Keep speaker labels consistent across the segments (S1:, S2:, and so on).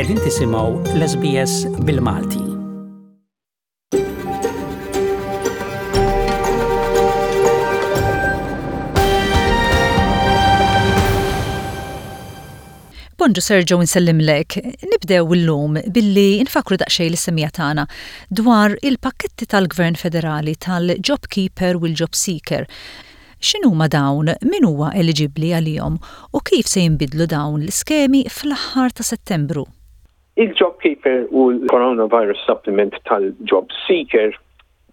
S1: Qegħdin tisimgħu l-SBS bil-Malti.
S2: Bonġu Sergio nsellimlek. Nibdew illum billi nfakru daqsxejn lis-semmiegħa tagħna dwar il-pakketti tal-Gvern Federali tal-JobKeeper u l-JobSeeker. X'inhuma dawn, min huwa eliġibbli għalihom u kif se jinbidlu dawn l-iskemi fl-aħħar ta' Settembru?
S3: Il-JobKeeper u l-Coronavirus Supplement tal-JobSeeker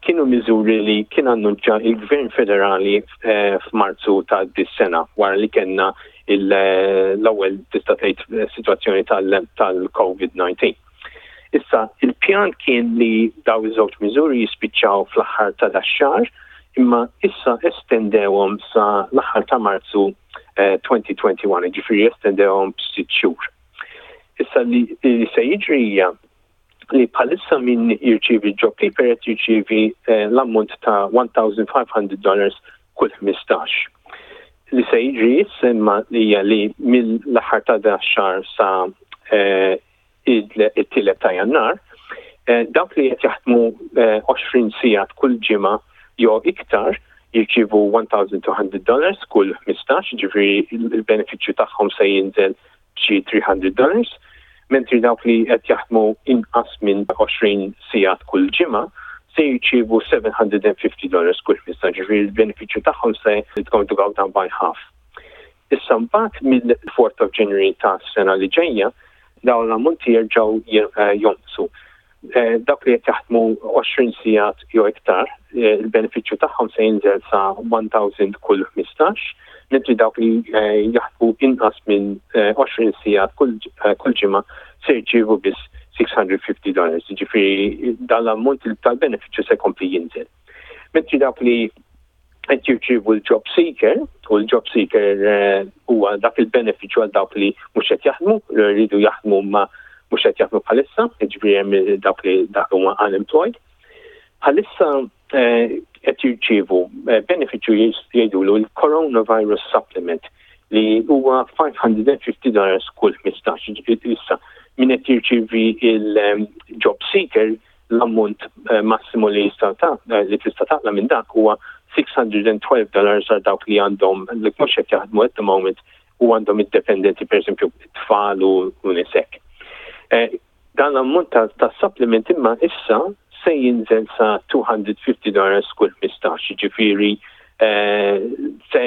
S3: kienu miżuri li kien annunċja il-Gvern Federali eh, f'Marzu ta' dis-sena wara li kellna l-ewwel tista' tgħid sitwazzjoni tal-COVID-19. Issa, il-pjan kien li daw iż-żewġ miżuri jispiċċaw fl-aħħar ta' dax-xahar, imma issa estendewhom sa l-aħħar ta' Marzu 2021, eh, ġifieri estendewhom b'sitt xhur. Issa li se jiġri hija li bħalissa min jirċievi JobKeeper qed jirċievi eh, l-ammont ta' $1,500 dollars kull 15. Li se jiġri issa imma hija li mill-aħħar ta' da xahar sa eh, it-tielet ta' Jannar, eh, dawk li qed jaħdmu 20 sigħat kull ġimgħa jew iktar jirċievu $1,200 dollars kull 15, ġifieri il-benefiċċju tagħhom se jinżel b'xi $300 dollars, mentri dawk li qed jaħdmu inqas minn 20 sigħat kull ġimgħa se jirċievu $750 dollars kull 15, ġifieri l-benefiċċju tagħhom se it's going to go down by half. Issa mbagħad mill-4th of January ta' sena li ġejja, dawn l-ammonti jerġgħu eh, jonqsu. Eh, dawk li qed jaħdmu 20 sigħat jew iktar, eh, il-benefiċċju tagħhom se jinżel sa 1000 kull 15, mentri dawk li eh, jaħdmu inqas minn 20 sigħat kull ġimgħa se jirċievu biss 650 dollars. Ġifieri dan l-ammont tal-benefiċċju se jkompli jinżel. Mentri dawk li qed jirċievu l-job seeker u l-job seeker eh, huwa dak il-benefiċċju għal dawk li mhux qed jaħdmu, li rridu jaħdmu ma mhux qed jaħdmu bħalissa, jiġifieri hemm dawk li dak huma unemployed. Bħalissa eh, qed jirċievu eh, benefiċċju jgħidulu l-coronavirus supplement li huwa 550 dollars kull 15. Issa min qed jirċievi il-job seeker l-ammont eh, massimu li jista' eh, li tista' taqla minn dak huwa 612 dollars għal dawk li għandhom li mhux qed jaħdmu at the moment u għandhom id-dependenti pereżempju tfal u nisek. Eh, dan l-ammont ta' supplement imma issa se jinżel sa 250 dollars kull 15, ġifieri se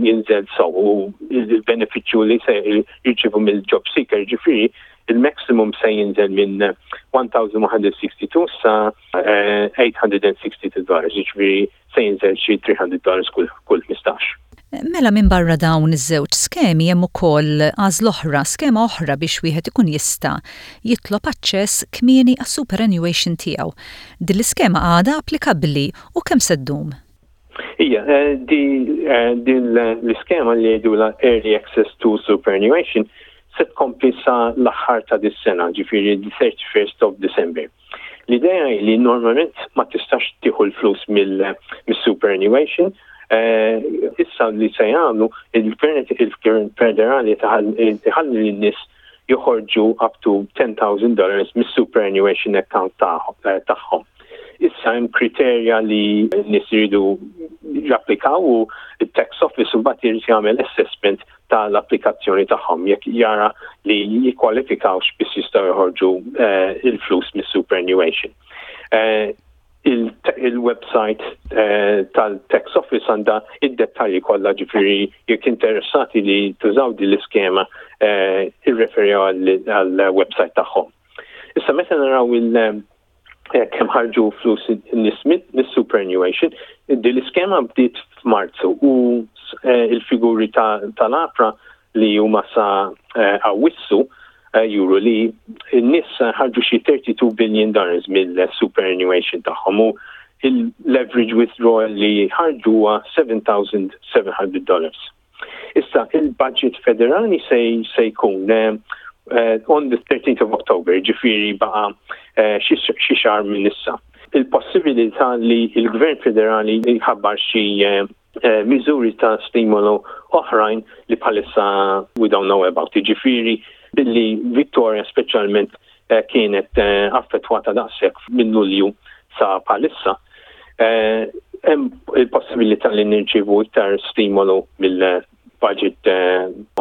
S3: jinżel so u il-benefiċċju li se jirċivu mill-job seeker ġifieri il-maximum se jinżel minn 1162 sa 862 eh, dollars, ġifieri se jinżel xi 300 dollars kull 15.
S2: Mela minbarra dawn iż-żewġ skemi hemm ukoll għażla oħra, skema oħra biex wieħed ikun jista' jitlob aċċess kmieni għas-superannuation tiegħu. Din l-iskema għadha applikabbli u kemm se ddum?
S3: Ija, eh, di, eh, din l-iskema li jgħidula Early Access to Superannuation se tkompli sa l-aħħar ta' dis-sena, ġifieri the 31st of December. L-idea hi li normalment ma tistax tieħu l-flus mill-superannuation, eh, issa li se jagħmlu il-gvern il-gvern federali iħalli lin-nies joħorġu up to $10,000 dollars mis-superannuation account eh, tagħhom. Issa hemm kriterja li n-nies iridu japplikaw u t-tax office mbagħad irid jagħmel assessment tal-applikazzjoni tagħhom jekk jara li jikkwalifikawx biex jistgħu joħorġu eh, il-flus mis-superannuation. Eh, il-website eh, tal-Tax Office għandha id-dettalji kollha ġifieri jekk interessati li tużaw din l-iskema irreferi għall-website tagħhom. Issa meta naraw il- eh, kemm ħarġu flus in-nies mis-superannuation, din l-iskema bdiet f'Marzu u eh, il-figuri tal-APRA li huma sa eh, Awwissu juru li n-nies ħarġu xi 32 billion dollars mill-superannuation tagħhom u l-average withdrawal li ħarġu huwa 7,700 dollars. Issa, il-budget federali se, se jkun uh, on the 13th of October, ġifiri baqa uh, xi xahar minn issa. Il-possibilità li il-Gvern federali jħabbar xi uh, miżuri ta' stimolu oħrajn li bħalissa we don't know about. Ġifiri, billi Victoria speċjalment kienet affettwata daqshekk minn Lulju sa bħalissa. Hemm il-possibilità li nirċievu iktar stimolu mill-budget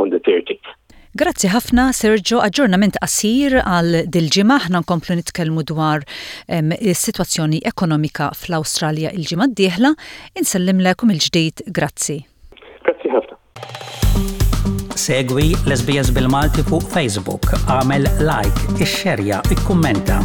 S3: on the 30th.
S2: Grazzi ħafna Sergio, aġġornament qasir għal dil-ġimgħa aħna nkomplu nitkellmu dwar is-sitwazzjoni ekonomika fl-Awstralja il-ġimgħa d-dieħla. Insellimlek u mill-ġdid grazzi.
S3: Grazzi ħafna.
S1: Segwi l-SBS bil-Malti fuq Facebook, għamel like, ixxerja, ikkummenta.